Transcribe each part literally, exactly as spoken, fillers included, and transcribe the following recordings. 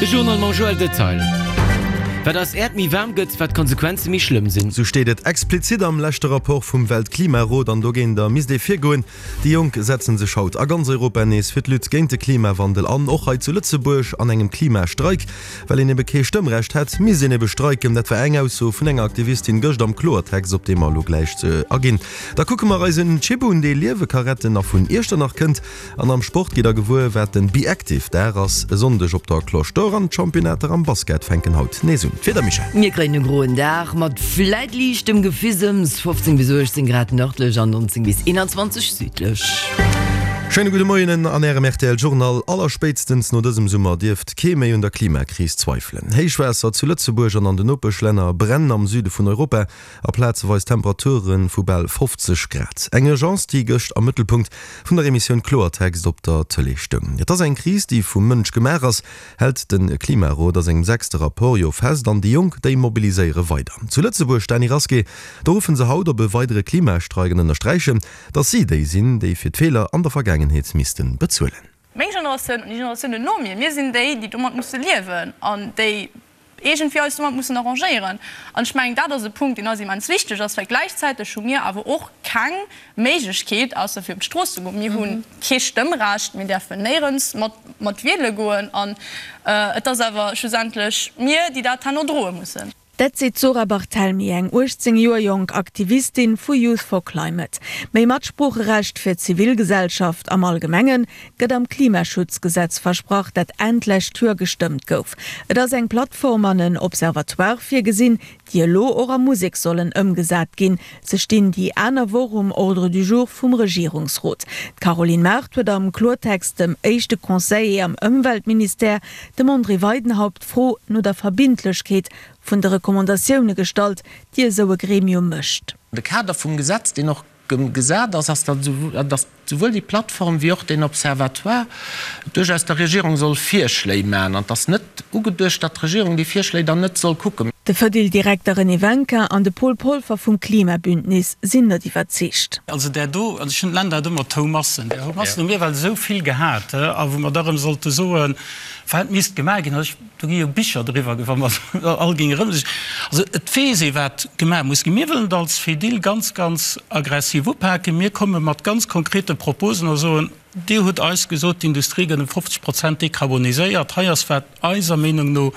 De Journal mam Joël Detail. Wat eis Äerd méi waarm gëtt, wat d'Konsequenze méi schlëmm sinn. Sou steet et explizit am leschte Rapport vum Weltklimarot an dogéinter misst ee virgoen. Déi Jonk setzen sech haut a ganz Europa nees fir d'Lutte géint de Klimawandel an, och hei zu Lëtzebuerg an engem Klimastreik. Well een ebe kee Stëmmrecht hätt, misst een ebe streiken. Dat war eng Ausso vun enger Aktivistin gëscht am Kloertext, op dee mer elo gläich aginn. Da kucke mer eis en Chip un, dee Liewe ka retten a vun Iechternach kënnt. An am Sport gitt der gewuer, wat den Be Active Dag ass e Sonndeg op der Cloche d'Or an d'Championnater am Basket fänken haut nees un. D'Wieder, Michèle? Mir kréien e groen Dag mat vläit liichtem Gefissems, fofzéng bis uechtzéng Grad nërdlech an nonzéng bis eenanzwanzeg südlech. Schéine gudde Moien an Ärem R T L Journal. Allerspéitstens no dësem Summer dierft kee méi un der Klimakris zweifelen. Héichwaasser zu Lëtzebuerg an an den Nopeschlänner, Bränn am Süde vun Europa a plazeweis Temperature vu bal fofzeg Grad. Eng Urgence, déi gëscht am Mëttelpunkt vun der Emissioun Kloertext op der Tëlee stoung. Et ass eng Kris, déi vum Mënsch gemaach ass, hält de Klimarot a sengem sechste Rapport jo fest. An déi Jonk, déi mobiliséiere weider. Zu Lëtzebuerg, Dany Rasqué, do ruffe se haut op e weidere Klimastreik an ënnersträichen, datt si déi sinn, déi fir d'Feeler an der Vergaangenheet misste bezuelen. Meng Generatioun an déi Generatiounen no mir, mir sinn déi, déi domat musse liewen an déi iergendwéi eis domat mussen arrangéieren. An ech mengen, dat ass e Punkt, deen eis immens wichteg ass, well gläichzäiteg hu mir awer och keng Méiglechkeet, ausser fir op d'Strooss ze goen. Mir hu kee Stëmmrecht, mir däerfen néierens mat mat wiele goen an et ass awer schlussendlech mir, déi dat herno droe mussen. Dat seet d'Zora Barthelmy, eng uechtzéng Joer jonk Aktivistin vu Youth for Climate. Méi Matsproocherecht fir d'Zivilgesellschaft am Allgemenge gëtt am Klimaschutzgesetz versprach, dat Enn d'lescht Joer gestëmmt gouf. Et ass eng Plattform an en Observatoire virgesinn, déi elo och a Musek sollen ëmgesat ginn. Se stinn déi aner Woch um Ordre du jour vum Regierungsrot. D'Caroline Mart huet am Kloertext dem éischte Conseiller am Ëmweltministère, dem André Weidenhaupt, d'Fro no der Verbindlechkeet vun de Recommandatioune gestallt, déi esou e Gremium mécht. De Kader vum Gesetz, deen och gesat ass, ass, datt souwuel déi Plattform wéi och deen Observatoire duerchaus der Regierung soll Virschléi maachen. An et ass net ugeduecht, datt d'Regierung déi Virschléi dann net soll kucken. De Fedil-Direkter René Wencker an de Paul Polfer vum Klimabündnis sinn net iwwerzeegt. Also där do, also ech hunn d'Länder et ëmmer d'Houmassen, där Houmassen hu mir well esou vill gehat, a wou mer da erëm sollte soen, wat misst gemaach ginn, also ech, do gi jo Bicher driwwer, wa mer all géinge erëm sech, also et weess ee wat gemaach muss ginn. Mir wëllen et als Fedil ganz, ganz aggressiv upaken. Mir komme mat ganz konkrete Proposen a soen, Dir hutt eis gesot, d'Industrie gëtt ëm fofzeg Prozent dekarboniséiert. Hei ass, wat eiser Meenung no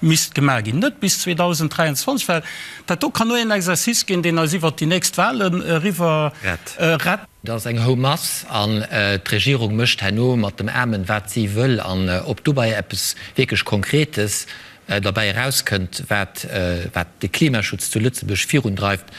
misst gemaach ginn. Net bis zweedausenddräianzwanzeg, well dat do kann nur een Exercice ginn, deen eis iwwert déi nächst Wahlen eriwwer rett. Et ass eng Houmass an d'Regierung mécht herno mat dem Aarmen, wat si wëll. An ob dobäi eppes wierklech Konkretes derbäi erauskënnt, wat de Klimaschutz zu Lëtzebuerg virundreift,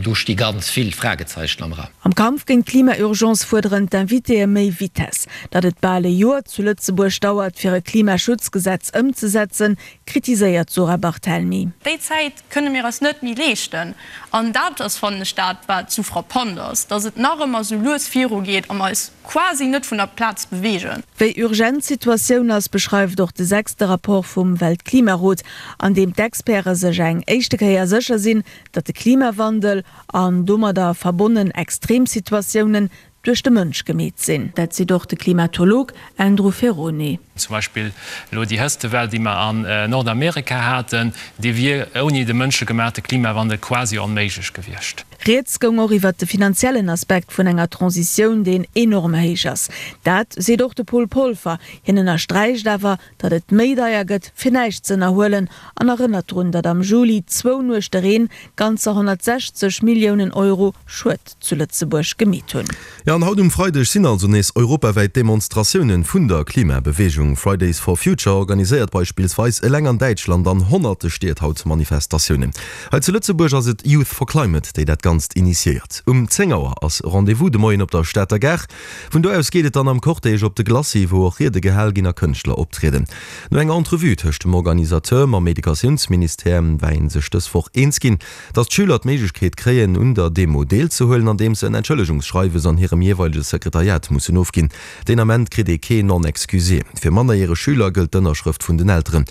do sti ganz vill Fragezeichen am Raum. Am Kampf géint d'Klima-Urgence fuerderen d'Invitéë méi Vitess. Datt et bal e Joer zu Lëtzebuerg dauert, fir e Klimaschutzgesetz ëmzesetzen, kritiséiert d'Zora Barthelmy. Déi Zäit kënne mir eis net méi leeschten. An dat ass, fannen ech, dat, wat sou frappant ass, datt et nach ëmmer sou lues virugeet a mer eis quasi net vun der Plaz beweegen. Wéi urgent d'Situatioun ass, beschreift och de sechste Rapport vum Weltklimarot, an deem d'Experte sech eng éischte Kéier sécher sinn, datt de Klimawandel an domadder verbonnen Extremsituatiounen duerch de Mënsch gemeet sinn. Dat seet och de Klimatolog Andrew Ferrone. Zum Beispill elo déi Hëtztwell, déi mer an Nordamerika haten, déi wier ouni de mënschegemaachte Klimawandel quasi onméiglech gewiescht. Rieds goung och iwwert de finanziellen Aspekt vun enger Transitioun, deen enorm héich ass. Dat seet och de Paul Polfer. Hien ënnersträicht awer, datt et méi deier gëtt, fir näischt z'ënnerhuelen an erënnert drun, datt am Juli zwou Nuechte Reen ganzer honnertsechzeg Milliounen Euro Schued zu Lëtzebuerg gemeet hunn. Jo, an haut um Freideg sinn also nees europawäit Demonstratiounen vun der Klimabeweegung. Fridays for Future organiséiert beispillsweis eleng an Däitschland an honnerte Stied haut Manifestatiounen. Hei zu Lëtzebuerg ass et Youth for Climate, déi dat Ganzt initiéiert. Um zéng Auer ass Rendez-vous de Moien op der Stater Gare. Vun do aus geet et dann am Cortège op de Glacis, wou och Riede gehal ginn a Kënschtler optrieden. No enger Entrevue tëscht dem Organisateur mam Educatiounsministère war ee sech dës Woch eens ginn, datt d'Schüler d'Méiglechkeet kréien, un der Demo deelzehuelen, andeems se en Entschëllegungsschreiwes an hirem jeeweilege Sekretariat mussen ofginn. Deen Ament kritt ee kee Non-excusé. Fir mannerjäreg Schüler gëllt d'Ënnerschrëft vun den Elteren.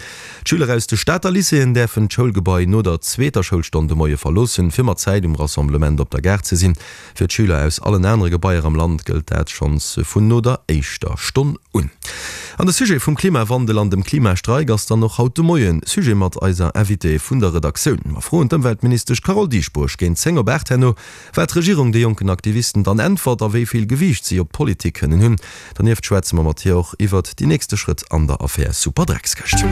D'Schüler aus de Stater Lycéeën däerfen d'Schoulgebai no der zweeter Schoulstonn de Moie verloossen, fir mat Zäit um Rassemblement op der Gare ze sinn. Fir d'Schüler aus allen anere Gebaier am Land gëllt dat schonns vun no der éischter Stonn un. An de Sujet vum Klimawandel an dem Klimastreik ass dann och haut de Moien Sujet mat eiser Invitée vun der Redaktioun. Mer froen d'Ëmweltministesch Carole Dieschbourg géint zéng op aacht herno, wat d'Regierung de jonken Aktivisten dann äntwert a wéi vill Gewiicht si op d'Politik kënnen hunn. Dernieft schwätze mer mat hir och iwwert déi nächste Schrëtt an der Affär Superdreckskëscht.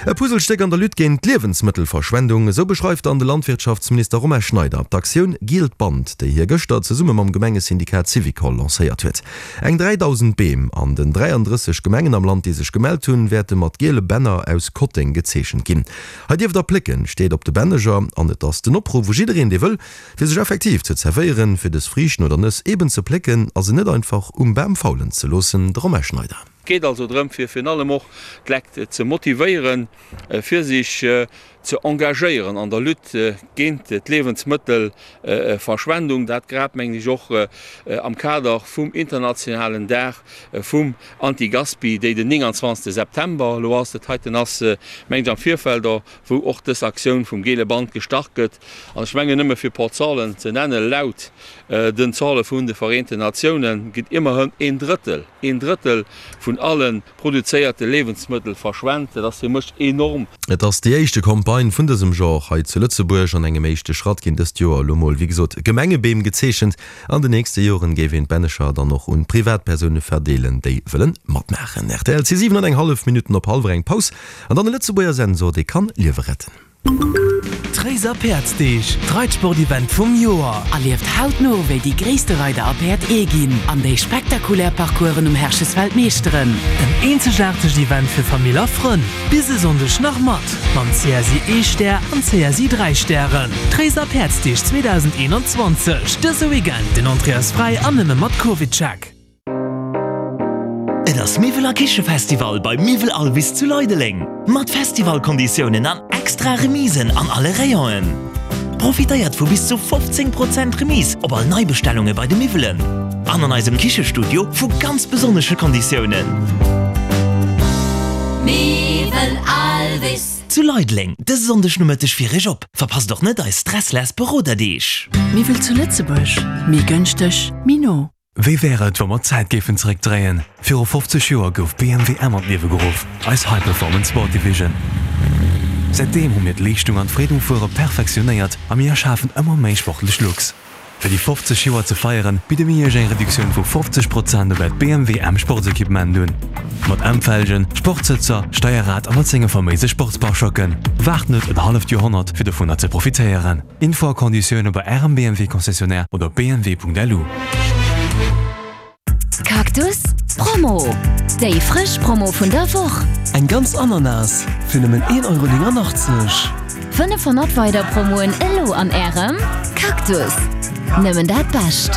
E Puzzlestéck an der Lutte géint d'Liewensmëttelverschwendung, esou beschreift dann de Landwirtschaftsminister Romain Schneider d'Aktioun Gielt Band, déi hie gëschter zesumme mam Gemengesyndikat Syvicol lancéiert huet. Eng dräidausend Beem an den dräiandrësseg Gemengen am Land, déi sech gemellt hunn, wäerte mat giele Bänner aus Kotteng gezeechent ginn. Hei dierft der plécken, steet op de Bänneger an et ass den Opruff u jiddereen, dee wëll, fir sech effektiv ze zerwéieren, fir dës Friichten oder Nëss eben ze plécken a se net einfach um Bam faulen ze loossen. De Romain Schneider. Et geet also drëm, fir virun allem och d'Lekt ze motivéieren, fir sech ze engagéieren an der Lutte géint d'Liewensmëttelverschwendung. Dat grad, mengen ech, och am Kader vum internationalen Dag vum Anti-Gaspi, déi den nénganzwanzegste September elo ass. Dat heiten ass, mengen ech, am Virfeld, wou och dës Aktioun vum Gele Band gestart gëtt. An ech mengen, nëmme fir e por Zahlen ze nennen, Laut den Zahle vun de Vereenten Natiounen gëtt immerhin een Drëttel, een Drëttel vun alle produzéierte Liewensmëttel verschwent. Dat ass fir mech enorm. Et ass déi éischte Campagne vun dësem Genre hei zu Lëtzebuerg. An engem éischte Schratt ginn dëst Joer elo mol, wéi gesot, Gemengebeem gezeechent. An den nächste Joren géif een d'Bännecher dann och un Privatpersoune verdeelen, déi wëllen matmaachen. Rtl, Et si siwen an eng hallef Minutten op hallwer eng. Paus an dann e Lëtzebuerger Sensor, dee kann Liewe retten. D'Réiser Päerdsdeeg, d'Reitsport-Event vum Joer! Erlieft hautno, wéi déi gréisste Reider a Päerd ee ginn an déi spektakulär Parcoursen um Herchesfeld meeschteren. En eenzegaartegt Event fir Famill a Frënn! Bis e Sonndeg nach mat mam C S I ee Stär an C S I dräi Stären. D'Réiser Päerdsdeeg zweedausendeenanzwanzeg, dëse Weekend! Den Entrée ass fräi an nëmme mat CovidCheck. Et ass Miwwel a Kichefestival bei Miwwel Alvis zu Leideleng! Mat Festivalkonditiounen an extra Remisen an alle Rayonen. Profitéiert vu bis zu fofzéng Prozent Remise op all Neibestellunge bei de Miwwelen an an eisem Kichestudio vu ganz besonnesche Konditiounen. Miwwel Alvis. Zu Leideleng dëse Sonndeg Nomëtteg fir Iech op. Verpasst och net eis Stressless Beroderdeeg. Miwwel zu Lëtzebuerg, méi gënschteg, méi no. Wéi wär et, wa mer d'Zäit géifen zeréckdréien? Viru fofzeg Joer gouf B M W M an d'Liewe geruff, eis High Performance Sport Division. Säitdeem hu mir d'Leeschtung an d'Freed um Fuere perfektionéiert a mir erschafen ëmmer méi sportlech Looks. Fir déi fofzeg Joer ze feieren, bidde mir Iech eng Reduktioun vu fofzeg Prozent op äert B M W M Sportsequipement un. Mat M-Felgen, Sportsëtzer, Steierrad a mat senge faméise Sportspare-Choquen. Waart net en halleft Joerhonnert, fir dovunner ze profitéieren. Info a Konditioune bei Ärem B M W-Concessionnaire oder op B M W punkt L U. Cactus Promo, Déi frësch Promo vun der Woch! Eng ganz Ananas fir nëmmen een Euro néngannachtzeg. fënnefhonnert weider Promoen elo an Ärem Cactus! Nëmmen dat Bescht!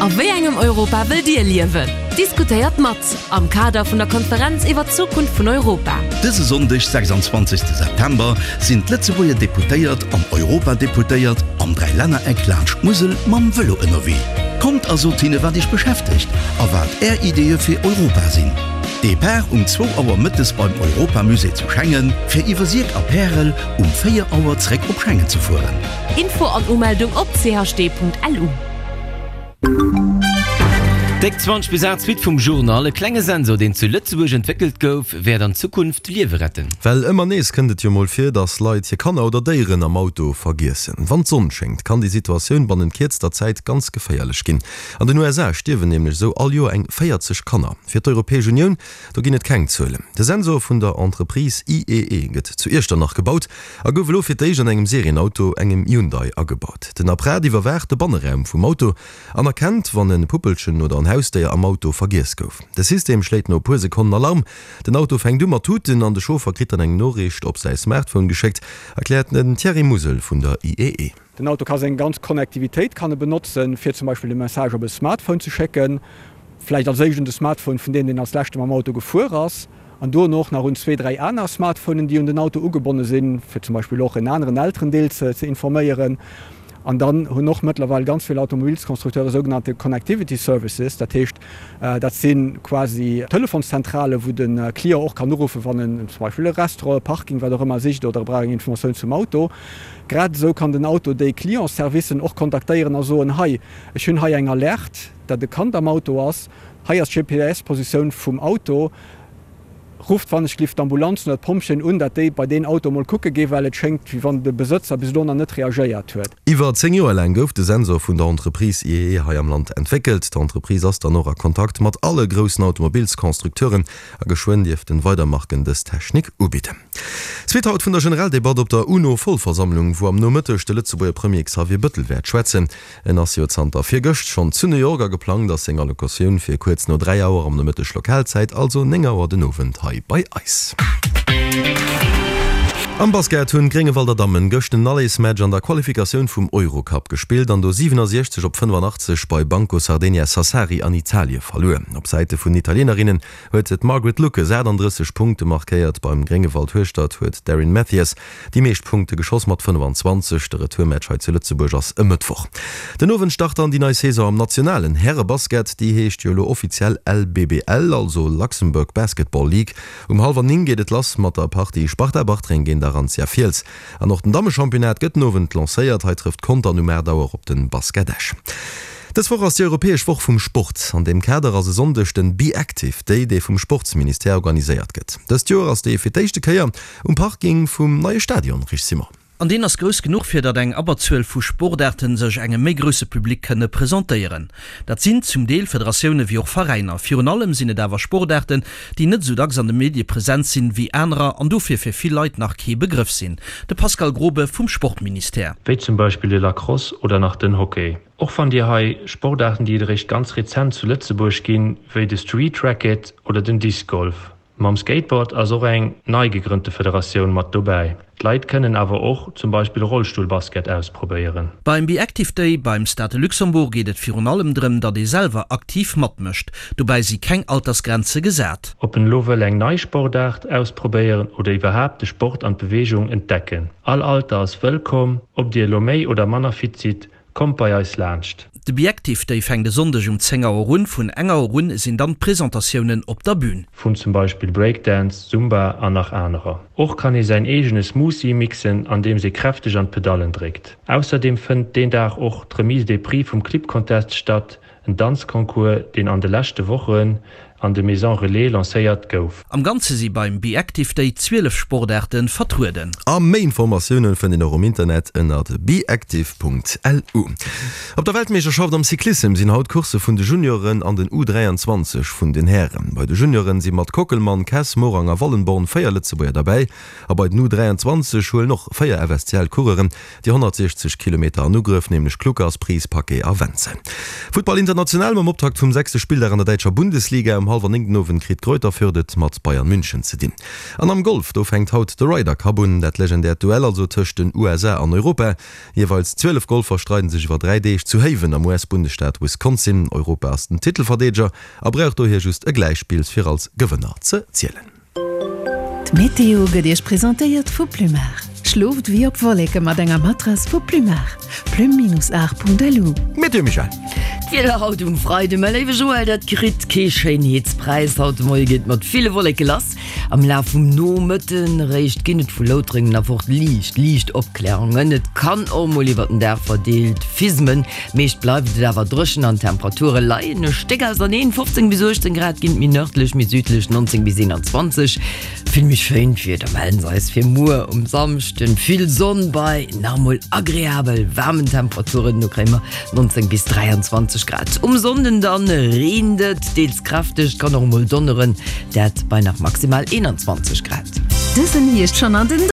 A wéi engem Europa wëllt Dir liewen? Diskutéiert mat am Kader vun der Konferenz iwwer d'Zukunft vun Europa. Dëse Sonndeg, sechsanzwanzegste September, sinn d'Lëtzebuerger Deputéiert an Europadeputéiert am Dräilännereck laanscht d'Musel mam Vëlo ënnerwee. Kommt a sot hinne wat iech beschäftegt a wat är Ideeë fir Europa sinn. Depart um zwou Auer mëttes beim Europamusée zu Schengen, fir iwwer Sierck a Pärel um véier Auer zréck op Schengen ze fueren. Info an Umeldung op C H D punkt L U. Déck zwanzeg bis aacht Suite vum Journal. E klenge Sensor, deen zu Lëtzebuerg entwéckelt gouf, wäert an Zukunft Liewe retten. Well ëmmer nees kënnt et jo mol vir, dass Leit hir Kanner oder Déieren am Auto vergiessen. Wann d'Sonn schéngt, kann déi Situatioun bannent kierzter Zäit ganz geféierlech ginn. An den U S A stierwen nämlech esou all Joer eng véierzeg Kanner. Fir d'Europäesch Unioun, do ginn et keng Zuelen. De Sensor vun der Entreprise I E E gëtt zu Iechternach gebaut a gouf elo fir d'éischt an engem Serienauto, engem Hyundai, agebaut. Den Apparat iwwerwaacht de Banneraum vum Auto an erkennt, wann e Puppelchen oder en Hausdéier am Auto vergiess gouf. De System schléit no e puer Sekonnen Alarm, den Auto fänkt u mat tuten an de Chauffer kritt dann eng Noriicht op säi Smartphone geschéckt, erkläert den Thierry Musel vun der I E E. Den Auto ka seng ganz Connectivitéit kann e benotzen, fir zum Beispill e Message op e Smartphone ze schécken, vläicht als éischt un de Smartphone vun deem, deen als leschte mam Auto gefuer ass, an duerno och nach un zwee, dräi aner Smartphonen, déi un den Auto ugebonne sinn, fir zum Beispill och en aneren Elterendeel ze informéieren. An dann hunn och mëttlerweil ganz vill Automobilsconstructeure sougenannte Connectivity Services, dat heescht, dat si quasi Telefonszentrale wou de Client och kann uruffen, wann en zum Beispill e Restaurant, e Parking, wat och ëmmer sicht oder e brauch eng Informatioun zum Auto. Grad esou kann den Auto déi Clientsservicen och kontaktéieren a soen, hei, ech hunn hei eng Alerte, datt e Kand am Auto ass, hei ass d'G P S-Positioun vum Auto, rufft wann ech gelift d'Ambulanz oder d'Pompjeeën un, datt déi bei deen Auto mol kucke ginn, well et schéngt, wéi wann de Besëtzer bis elo nach net reagéiert huet. Iwwer zéng Joer laang gouf de Sensor vun der Entreprise I E E hei am Land entwéckelt. D'Entreprise ass dann och a Kontakt mat alle groussen Automobilsconstructeuren a geschwënn dierften weider Marken dës Technik ubidden. Suite haut vun der Generaldebatt op der UNO-Vollversammlung, wou am Nomëtteg de Lëtzebuerger Premier Xavier Bëttel wäert schwätzen. En ass jo zanter virgëscht schonn zu New York a geplangt ass seng Allocutioun fir kuerz no dräi Auer am Nomëtteg Lokalzäit, also néng Auer den Owend hei bei eis. Am Basket hunn d'Gréngewalder Dammen gëscht den Allesmatch an der Qualifikatioun vum Eurocup gespillt an do siwenasiechzeg op fënnefanaachtzeg bei Banco Sardegna Sassari an Italie verluer. Op Säite vun den Italienerinnen huet d'Margaret Lucas aachtanddrësseg Punkte markéiert, beim Gréngewald Hueschtert huet d'Erin Mathias déi meescht Punkte geschoss mat fënnefanzwanzeg. De Retourmatch hei zu Lëtzebuerg ass e Mëttwoch den Owend. Start dann déi nei Saison am nationalen Härebasket, déi heescht jo elo offiziell L B B L, also Luxembourg Basketball League. Um hallwer néng geet et lass mat der Partie Sparta Bartreng géint Arantia Fiels. An och den Dammechampionnat gëtt den Owend lancéiert, hei trëfft Contern um aacht Auer op den Basket Esch. Dës Woch ass déi europäesch Woch vum Sport. An deem Kader ass e Sonndeg den Be Active Day, dee vum Sportsministère organiséiert gëtt. Dëst Joer ass dee fir d'éischte Kéier um Parking vum neie Stadion, Rich Simon. An deen ass grouss genuch, fir datt eng Abberzuel vu Sportaarten sech engem méi grousse Public kënne presentéieren. Dat sinn zum Deel Federatioune wéi och Veräiner. Virun allem sinn et awer Sportaarten, déi net esou dacks an de Medie present sinn wéi anerer an dofir fir vill Leit nach kee Begrëff sinn. De Pascal Grobe vum Sportministère. Wéi zum Beispill de Lacrosse oder nach den Hockey. Och fannt Dir hei Sportaarten, déi et eréischt ganz rezent zu Lëtzebuerg ginn, wéi de Street Racket oder den Disc Golf. Mam Skateboard ass och eng nei gegrënnte Federatioun mat dobäi. D'Leit kënnen awer och zum Beispill Rollstullbasket ausprobéieren. Beim Be Active Day beim Stade de Luxembourg geet et virun allem drëm, datt ee selwer aktiv matmécht. Dobäi si keng Altersgrenze gesat. Ob een elo wëll eng nei Sportaart ausprobéieren oder iwwerhaapt de Sport an d'Beweegung entdecken. All Alter ass wëllkomm, ob Dir elo méi oder manner fit sidd, kommt bei eis laanscht. De Be Active Day fänkt e Sonndeg um zéng Auer un. Vun eng Auer un sinn dann d'Presentatiounen op der Bün. Vun zum Beispill Breakdance, Zumba an nach anerer. Och kann ee säin eegene Smoothie mixen, andeems ee kräfteg an d'Pedallen dréckt. Ausserdeem fënnt deen Dag och d'Remise des Prix vum Clip Contest statt, en Danzconcours, deen an de leschte Wochen an de Maisons Relais lancéiert gouf. Am Ganze si beim Be Active Day zwielef Sportaarte vertrueden. A méi Informatioune fënnt een och um Internet ënnert beactive Punkt L U. Op der Weltmeeschterschaft am Cyclissem sinn haut Coursse vun de Junioren an den U dräianzwanzeg vun den Hären. Bei de Junioren si mat Kockelmann, Kess, Morang a Wallenborn véier Lëtzebuerger derbäi a bei den U dräianzwanzeg huelen och véier F S C L-Coureuren déi honnertsiechzeg Kilometer an Ugrëff, nämlech Kluckers, Pries, Paquet a Wenzel. Futtball international mam Optakt vum sechste Spilldag an der däitscher Bundesliga. Um hallwer néng den Owend kritt Greuther Fürth et mat Bayern München ze dinn. An am Golf, do fänkt haut de Ryder Cup un, dat legendäert Duell also tëscht den U S A an Europa. Jeeweils zwielef Golfer streiden sech iwwer dräi Deeg zu Haven am U S-Bundesstaat Wisconsin. Europa ass den Titelverdeedeger a brauch dohier just e Gläichspill fir als Gewënner ze zielen. D'Meteo gëtt Iech presentéiert vu Plumar. Schlooft wéi op Wolleke mat enger Matrass vu Plumar. Plum Binus acht Punkt L U. Meteo Michèle. D'Wieder haut um Freide, mäi léiwe Joël, dat kritt kee Schéinheetspräis. Haut de Moie geet mat ville Wolleke lass. Am Laf vum Nomëtten eréischt ginn et vu Loutrengen erfort liicht, liicht Opklärungen. Et kann och mol iwwer den Dag verdeelt fismen. Meescht bleift et awer dréchen an d'Temperature leien e Stéck auserneen, fofzéng bis uechtzéng Grad ginn et méi nërdlech, méi südlech nonzéng bis eenanzwanzeg. Vill méi schéint Wieder mellen se eis fir muer um Samschden, vill Sonn bei nach emol agreabel waarmen Temperaturen, do kréie mer nonzéng bis dräianzwanzeg Grad. Um Sonnden dann reent et deels kräfteg, et kann och emol donneren, dat bei nach maximal eenanzwanzeg Grad. Dësen Hierscht schonn an den